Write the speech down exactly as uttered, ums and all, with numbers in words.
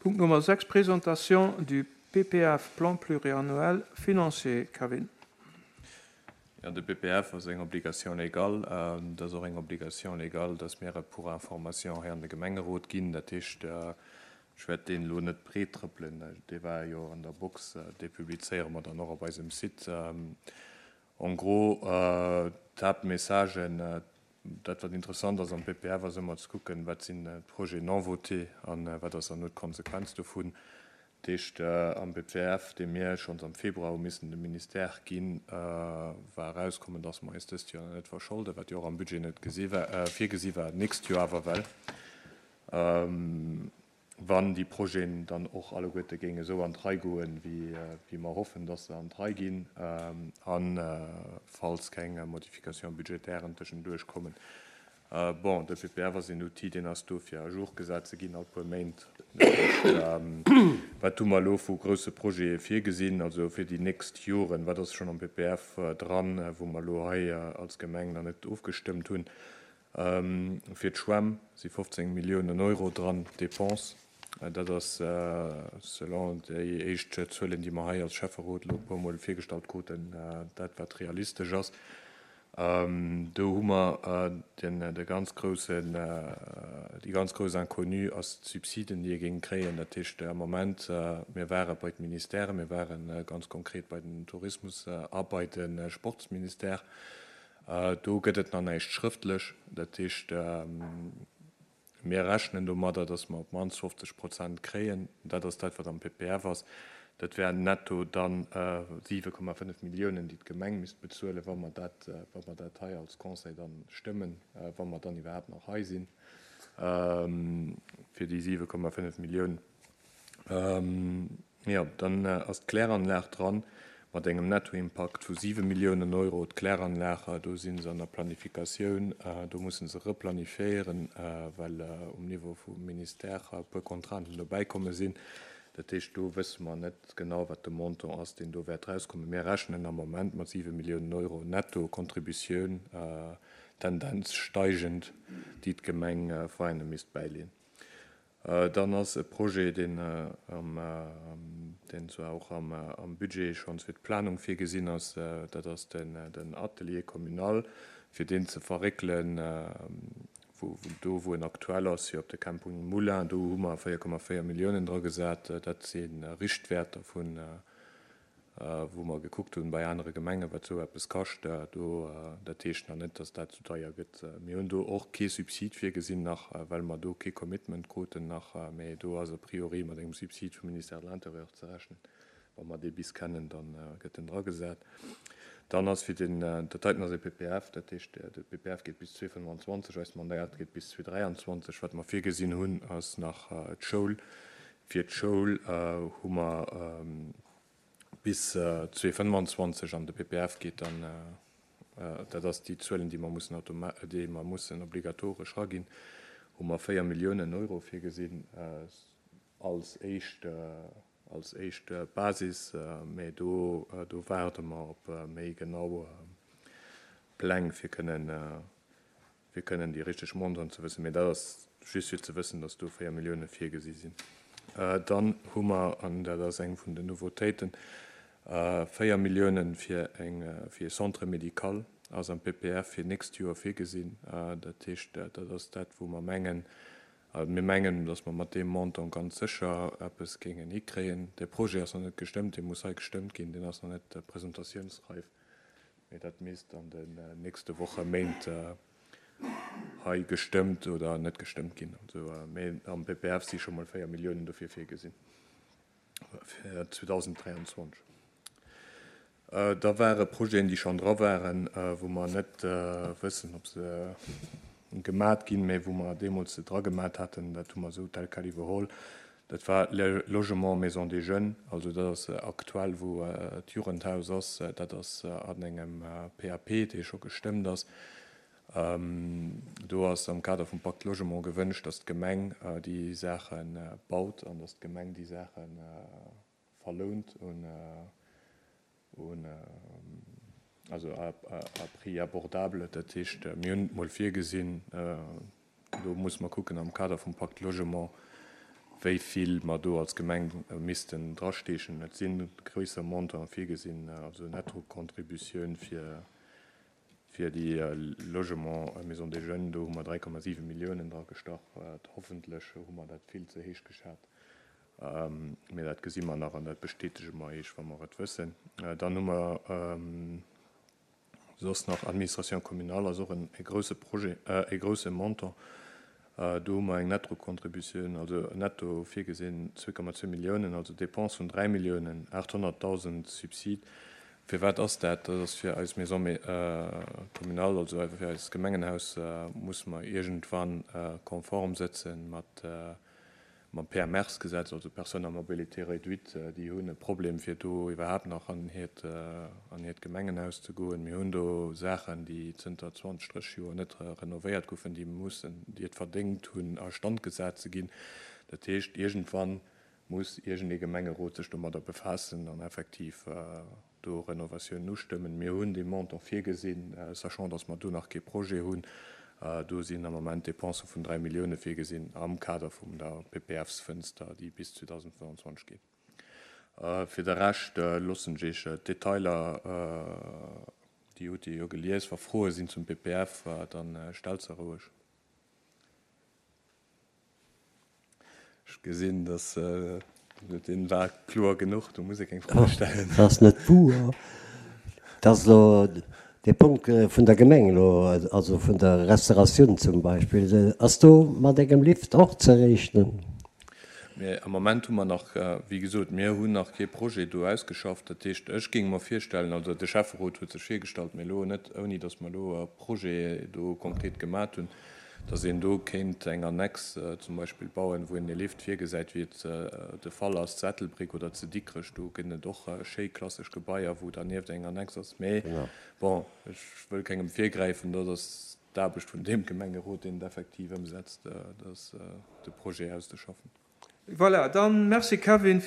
Punkt Nummer sechs, Présentation du P P F, Plan pluriannuel financier. Kevin. Ja, de P P F ass eng Obligation légale. Dat ass och eng Obligation légale, dass mir pour information hei an de Gemengerot ginn. Dat heescht, ech wäert deen elo net breet trëppelen, dee war jo an der Box, dee publizéiere mer dann och op eisem Site. En gros, d'Haaptmessagen, dat, wat interessant ass am P P F, ass ëmmer ze kucken, wat sinn d'Projets non votés an wat ass dann elo d'Konsequenz dovun. Dat heescht, am P P F, dee mir schonns am Februar hu missen dem Ministère ginn, war erauskommen, dass mer eis dëst Joer net verscholden, wat jo och am Budget net gesi war, virgesi war, d'nächst Joer awer well. Wann déi Projeten dann och alleguerte géinge esou an d'Rei goen, wéi mer hoffen, dass se an d'Rei ginn, a falls keng Modification budgétairen tëschenduerch kommen. Bon, de P P F ass een Outil, deen ass do fir à jour gesat ze ginn all puer Méint. Dat heescht, wat hu mer elo vu grousse Projete virgesinn, also fir déi nächst Joren, wat ass schonn am P P F dran, wou mer elo hei als Gemeng nach net ofgestëmmt hunn? Fir d'Schwämm si fofzéng Milliounen Euro dran, Dépenses. Dat ass selon déi éischt Zuelen, déi mer hei als Schäfferot elo e puermol virgestallt kruten, dat, wat realistesch ass. Do hu mer den de ganz groussen, déi ganz grouss Inconnue ass d'Subsiden, déi ee géing kréien. Dat heescht, am Moment, mir ware bei d'Ministèren, mir ware ganz konkret bei den Tourismus a bei de Sportsministère. Do gëtt et nach näischt schrëftlech. Dat heescht, mir rechnen domadder, datt mer op d'mannst fofzeg Prozent kréien. Dat ass dat, wat am P P F ass. Dat wären netto dann siwe Komma fënnef Milliounen, déi d'Gemeng misst bezuelen, wa mer dat, wa mer dat hei als Conseil dann stëmmen, wa mer dann iwwerhaapt nach hei sinn, fir déi siwe Komma fënnef Milliounen. Jo, dann ass d'Kläranlag dran mat engem Nettoimpakt vu siwe Milliounen Euro. D'Kläranlag, do si se an der Planifikatioun, do musse se replanifiéieren, well um Niveau vum Ministère e puer Contrainten dobäikomme sinn. Dat heescht, do wësse mer net genau, wat de Montant ass, deen do wäert rauskommen. Mir rechnen am Moment mat siwe Milliounen Euro Netto-Contributioun, Tendenz steigend, déi d'Gemeng Veianen misst bäileeën. Dann ass e Projet, deen am, deen zwar och am, am Budget schonns fir d'Planung virgesinn ass, dat ass den, den Atelier communal, fir deen ze verréckelen, wou, do wou en aktuell ass, fir op de Camping Moulin, do hu mer véier Komma véier Milliounen dra gesat. Dat si Richtwäerter vun, wou mer gekuckt hunn bei anere Gemengen, wat esou eppes kascht. Do, dat heescht nach net, datt dat esou deier gëtt. Mir hunn do och kee Subsid virgesinn nach, well mer do kee Commitment kruten nach, mee do ass a priori mat engem Subsid vum Ministère de l'Intérieur ze rechnen. Wa mer dee bis kennen, dann gëtt en dragesat. Dann ass fir den, dat heiten ass e P P F, dat heescht, de P P F geet bis zweedausendfënnefenzwanzeg, eist Mandat geet bis zweedausendräianzwanzeg. Wat mer virgesinn hunn, ass nach d'Schoul. Fir d'Schoul hu mer bis zweedausendfënnefenzwanzeg an de P P F geet dann, dat ass déi Zuelen, déi mer mussen automa déi mer mussen obligatoresch raginn, hu mer véier Milliounen Euro virgesinn als éischt als éischt Basis, mee do do waarde mer op méi genau Pläng, fir kënnen fir kënnen déi richteg Montanten ze wëssen. Mee dat ass just fir ze wëssen, datt do véier Millioune virgesi sinn. Dann hu mer, an dat ass eng vun den Nouveautéiten, véier Milliounen fir eng fir e Centre médical ass am P P F fir nächst Joer virgesinn. Dat heescht, dat ass dat, wou mer mengen, mir mengen, datt mer mat deem Montant ganz sécher eppes géingen hikréien. De Projet ass nach net gestëmmt, dee muss hei gestëmmt ginn, deen ass nach net presentatiounsreif, mee dat misst an den nächste Woche, Méint hei gestëmmt oder net gestëmmt ginn. Also, mee am P P F si scho mol véier Milliounen dofir virgesinn fir zweedausenddräianzwanzeg. Da ware Projeten, déi schonn dra waren, wou mer net wëssen, ob se gemat ginn, mee wou mer deemools se dra gemat haten, dat hu mer esou tel quel iwwerholl. Dat war Logement Maison des Jeunes, also dat ass aktuell, wou d'Jugendhaus ass, dat ass an engem P A P, dee scho gestëmmt ass. Do ass am Kader vum Pacte Logement gewënscht, datt d'Gemeng déi Saache baut an datt d'Gemeng déi Saache verlount un, un also à, à prix abordable. Dat heescht, mir hunn et mol virgesinn, do muss mer kucken am Kader vum Pacte Logement, wéi vill mer do als Gemeng missten drastechen. Et si gréisser Montanten virgesinn, also Nettocontributioun fir fir déi Logement Maison des Jeunes, do hu mer dräi Komma siwe Milliounen dragestach. Hoffentlech hu mer dat vill ze héich geschat, mee dat gesi mer nach an dat bestätege mer Iech, wa mer et wëssen. Dann hu mer soss nach Administration communale ass och e grouse Projet, e grouse Montant. Do hu mer eng Nettocontributioun, also netto virgesinn zwee Komma zwee Milliounen, also Dépense vun dräi Milliounen aathonnertdausend Subsid. Firwat ass dat? Dat ass fir eis Maison communale, also fir eist Gemengenhaus musse mer iergendwann konform sëtze mat mam P M R-Gesetz, also Personnes à mobilité réduite, déi hunn e Problem fir do iwwerhaapt nach an hiert an hiert Gemengenhaus ze goen. Mir hunn do Saachen, déi zënter zwanzeg, drësseg Joer net renovéiert goufen, déi mussen, déi et verdéngt hunn a Stand gesat ze ginn. Dat heescht, iergendwann muss iergendee Gemengerot sech domadder befaassen an effektiv do Renovatiounen ustëmmen. Mir hunn dee Montant virgesinn, sachant dass mer do nach kee Projet hunn. Do sinn am Moment Dépensë vun dräi Millioune virgesinn am Kader vum der P P Fs-Fënster, déi bis zweedausendfënnwandzwanzeg geet. Fir de Rescht loossen ech Iech d'Detailer, déi hutt Dir jo gelies. Wa Froe sinn zum P P F, dann stellt se roueg. Ech gesinn, dass dee war kloer genuch, do muss ee keng Froe stellen. Dat ass net wouer. Dat ass elo dee Punkt vun der Gemeng elo, also vun der Restauratioun zum Beispill. Ass do mat engem Lift och ze rechnen? Mee am Moment hu mer nach, wéi gesot, mir hunn nach kee Projet do ausgeschafft. Dat heescht, ech géing mer virstellen, also de Schäfferot huet sech virgestallt, mee elo net ouni datt mer elo e Projet do konkret gemat hunn, datt een do kéint eng Annex zum Beispill bauen, wou een e Lift virgesäit, wéi et de Fall ass zu Ettelbréck oder zu Dikrech. Do gëtt et och schéi klassesch Gebaier, wou dernieft eng Annex ass. Mee bon, ech wëll kengem virgräifen, dat ass d'Aarbecht vun deem Gemengerot, deen et effektiv ëmsetzt, de Projet auszeschaffen. Voilà, dann merci Kevin.